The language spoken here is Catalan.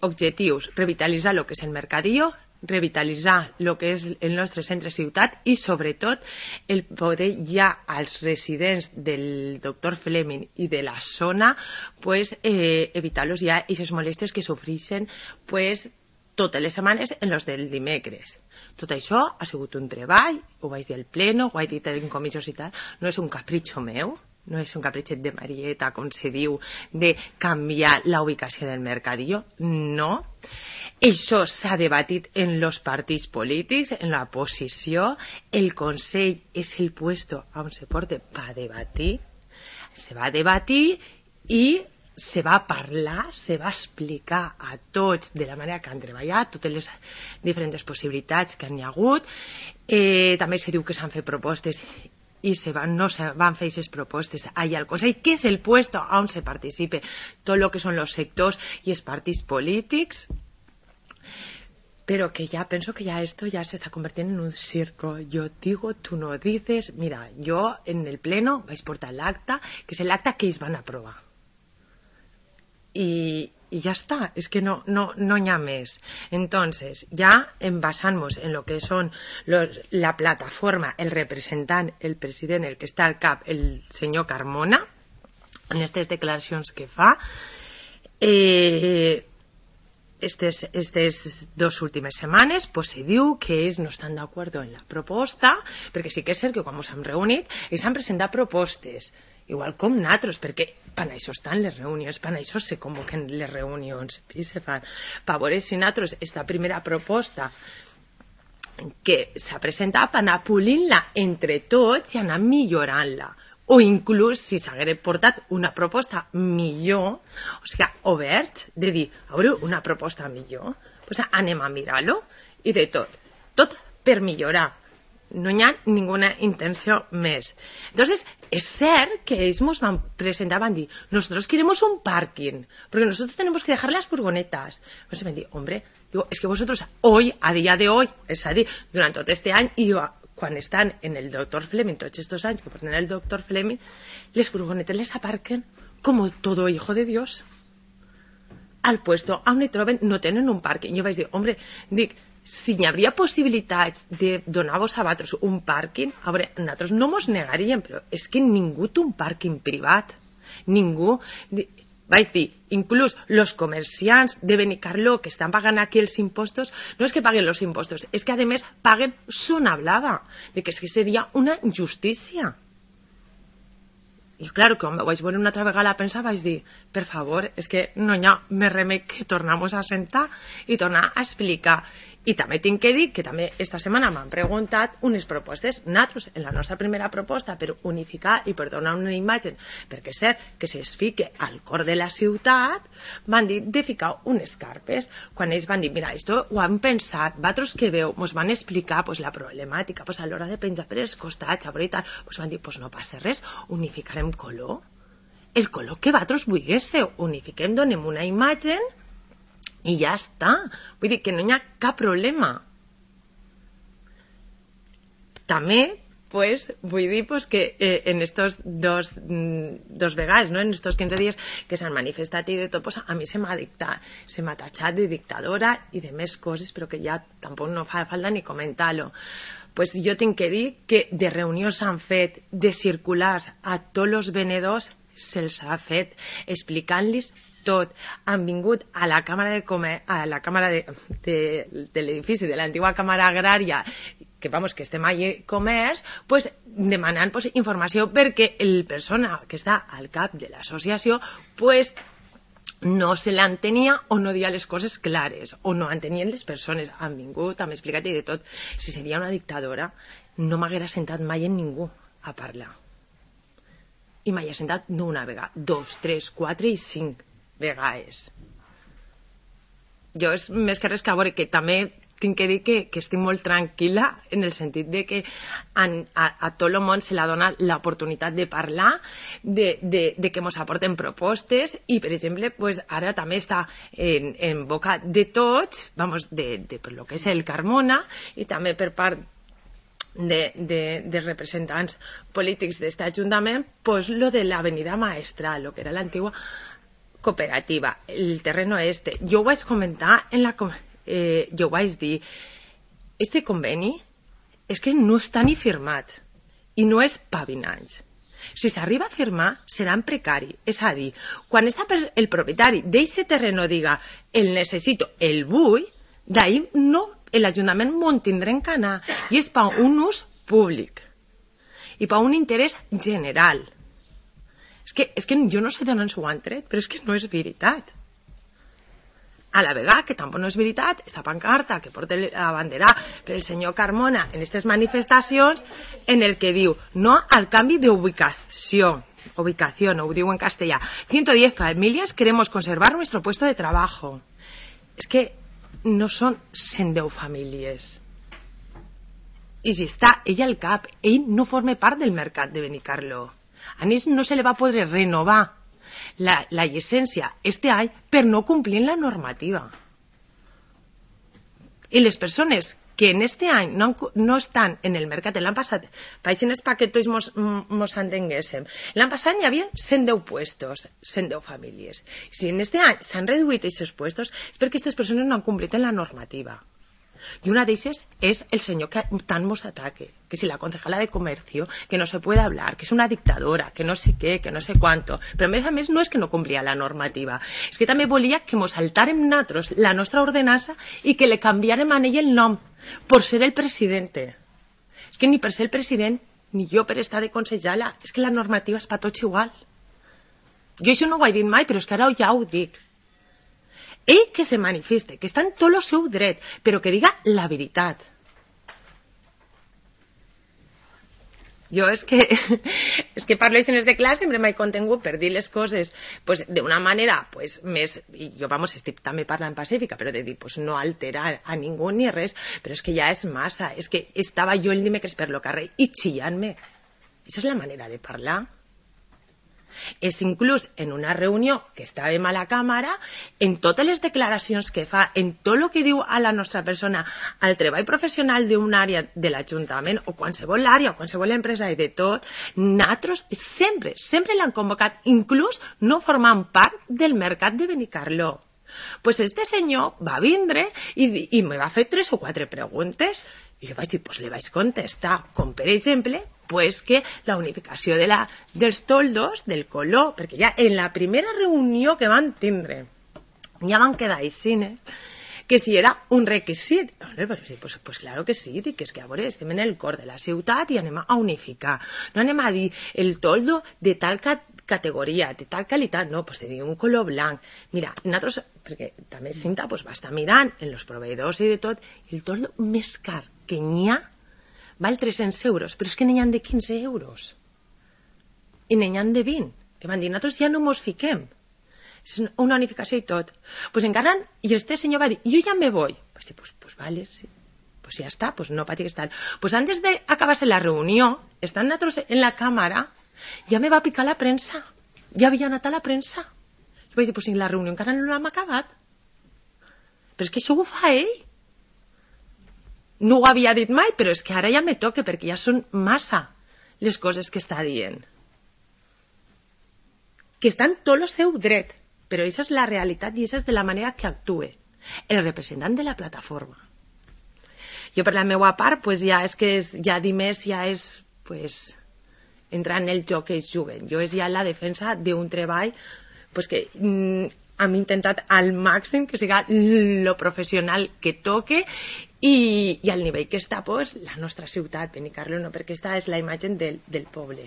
objectius, revitalitzar el que és el mercadillo, revitalitzar el que és el nostre centre ciutat i, sobretot, el poder ja als residents del doctor Fleming i de la zona evitar-los ja aquestes molèsties que sofreixen totes les setmanes en los del dimecres. Tot això ha sigut un treball, ho vaig dir al pleno, ho vaig dir en comissions i tal, no és un capritxo meu, no és un capritxet de Marieta, com se diu, de canviar la ubicació del mercadillo, no. Això s'ha debatit en els partits polítics, en la posició, el Consell és el puesto on se porta per debatir, se va debatir i se va parlar, se va explicar a tots de la manera que han treballat, totes les diferents possibilitats que n'hi ha hagut. També se diu que s'han fet propostes i no se van fer aquestes propostes allà al Consell, que és el puesto on se participe tot el que són els sectors i els partits polítics, pero que ya pienso que ya esto ya se está convirtiendo en un circo. Yo digo, tú no dices. Mira, yo en el pleno vais a portar el acta, que es el acta que ells van aprovar. Y ya está, es que no hi ha més. Entonces, ya basant-nos en lo que son la plataforma, el representant, el president, el que està al cap, el senyor Carmona, en aquestes declaracions que fa, estas dos últimes setmanes se diu que ells no estan d'acord en la proposta, perquè sí que és cert que quan ens hem reunit ells han presentat propostes igual com nosaltres, perquè per això estan les reunions, per això se convoquen les reunions i se fan, per veure si nosaltres esta primera proposta que s'ha presentat per anar polint-la entre tots i anar millorant-la, o inclús si s'hagués portat una proposta millor, o sigui, obert, de dir, a veure, una proposta millor, doncs anem a mirar-lo, i de tot per millorar. No hi ha ninguna intenció més. Entonces, es cert que ells ens van presentar, van dir, nosotros queremos un parking, porque nosotros tenemos que dejar las furgonetas. Pues van dir, hombre, digo, es que vosotros hoy, a día de hoy, és a dir, durant tot este any, i quan estan en el doctor Fleming, tots estos anys que porten el doctor Fleming, les furgonetes les aparquen como todo hijo de Dios. Al puesto on hi troben no tenen un parking. Jo vaig dir, hombre, dic, si hi hauria possibilitats de donar-vos a vosaltres un pàrquing, a veure, nosaltres no mos negaríem, però és que ningú té un pàrquing privat. Ningú. Vaig dir, inclús els comerciants de Benicarló que estan pagant aquí els impostos, no és que paguen els impostos, és que a més paguen zona blava, de que és que seria una injustícia. I clar, quan vaig veure una altra vegada a pensar, vaig dir, per favor, és que no hi ha més remei que tornar-nos a sentar i tornar a explicar. I també tinc que dir que també esta setmana m'han preguntat unes propostes, nosaltres, en la nostra primera proposta, per unificar i per donar una imatge, perquè és cert que es fique al cor de la ciutat, van dir de ficar unes carpes. Quan ells van dir, mira, esto ho han pensat, vosaltres que veu, ens van explicar la problemàtica, a l'hora de penjar per els costats, a veure i tal, van dir, no passa res, unificarem color, el color que vosaltres vulguéssiu, unifiquem, donem una imatge i ja està. Vull dir que no hi ha cap problema. També vull dir que en estos dos vegades, en estos 15 dies que s'han manifestat i de tot, a mi se m'ha tatxat de dictadora i de més coses, però que ja tampoc no fa falta ni comentar-lo. Jo tinc que dir que de reunions s'han fet, de circulars a tots els venedors se'ls ha fet explicant-los tot. Han vingut a la càmera de l'edifici de l'antiga càmera agrària, que estem allà comerç, demanant informació perquè el persona que està al cap de l'associació no se l'entenia o no dia les coses clares o no entenien les persones. Han vingut, han explicat i de tot. Si seria una dictadora no m'haguera sentat mai en ningú a parlar. I m'hi ha sentat no una vegada, 2, 3, 4 i 5 vegades. Jo és més que res que a veure que també tinc que dir que estic molt tranquil·la en el sentit de que a tot el món se l'ha donat l'oportunitat de parlar, de que ens aporten propostes i, per exemple, ara també està en boca de tots, per lo que és el Carmona i també per part de representants polítics d'aquest ajuntament, lo de l'avenida Maestral, lo que era l'antigua cooperativa, el terreno este. Jo ho vaig comentar en la... jo vaig dir, este conveni és que no està ni firmat i no és pa 20 anys. Si s'arriba a firmar, serà en precari. És a dir, quan el propietari d'aquest terreno diga el necessito, el vull, d'ahir no, l'Ajuntament m'ho tindrà en canar i és per un ús públic i per un interès general. És que jo no sé d'on ens ho han tret, però és que no és veritat. A la vegada que tampoc no és veritat, esta pancarta que porta la bandera per el senyor Carmona en aquestes manifestacions en el que diu no al canvi de ubicación, ho diu en castellà. 110 familias queremos conservar nuestro puesto de trabajo. És que no són 110 famílies. I si està ell al cap, ell no forma part del mercat de Benicarló. A ells no se li va poder renovar la llicència este any per no complir la normativa. I les persones que en este any no estan en el mercat, l'any passat, païsines pa que tots mos entenguéssim, l'any passat hi havia 110 puestos, 110 famílies. Si en este any s'han reduït aquests puestos és perquè aquestes persones no han complit en la normativa. Y una de ellas es el señor que tan nos ataque, que si la concejala de comercio, que no se puede hablar, que es una dictadora, que no sé qué, que no sé cuánto. Però a més no és que no complia la normativa, és que també volia que mos saltàrem nosaltres la nostra ordenança i que le canviarem a ell el nom, per ser el presidente. És que ni per ser el president, ni jo per estar de consellera, és que la normativa és per tots igual. Jo això no ho he dit mai, però és que ara ja ho dic. Ell que se manifeste, que està en tot el seu dret, però que diga la veritat. Jo és que parlo escenes de classe, sempre m'he contingut per dir les coses d'una manera més, i jo estic també parlant pacífica, però de dir no alterar a ningú ni res, però és que ja és massa, és que estava jo el dimecres per lo carrer i xillant-me. Aquesta és la manera de parlar. És inclús en una reunió que estàvem a la càmera, en totes les declaracions que fa, en tot el que diu a la nostra persona, al treball professional d'una àrea de l'Ajuntament o qualsevol àrea o qualsevol empresa i de tot, nosaltres sempre l'han convocat, inclús no formant part del mercat de Benicarló. Pues este senyor va vindre i me va fer 3 o 4 preguntes i jo vaig dir, li vaig contestar, com per exemple que la unificació dels toldos, del color, perquè ja en la primera reunió que van tindre ja van quedar així, que si era un requisit. Pues claro que sí, dic, és que a veure, estem en el cor de la ciutat i anem a unificar, no anem a dir el toldo de tal categoria, de tal qualitat, no, te dic un color blanc. Mira, nosaltres, perquè també Cinta va estar mirant en els proveïdors i de tot, el toldo més car que n'hi ha val 300 euros, però és que n'hi ha de 15 euros i n'hi ha de 20, que van dir, nosaltres ja no mos fiquem, és una unificació i tot. Encara, i este senyor va dir, jo ja me voy. Vaig dir, vale, sí. Ja està, no patigues tal. Antes d'acabar-se la reunió, estant nosaltres en la càmera, ja me va picar la premsa, ja havia anat a la premsa. Jo vaig dir, si la reunió encara no l'hem acabat. Però és que això ho fa ell. No ho havia dit mai, però és que ara ja me toca, perquè ja són massa les coses que està dient. Que està en tot el seu dret, però aquesta és la realitat i aquesta és de la manera que actue el representant de la plataforma. Jo, per la meva part, ja dir més ja és entrar en el joc que ells juguen. Jo és ja la defensa d'un treball que hem intentat al màxim que siga lo professional que toque i al nivell que està la nostra ciutat, Benicarló, no, perquè aquesta és la imatge del poble.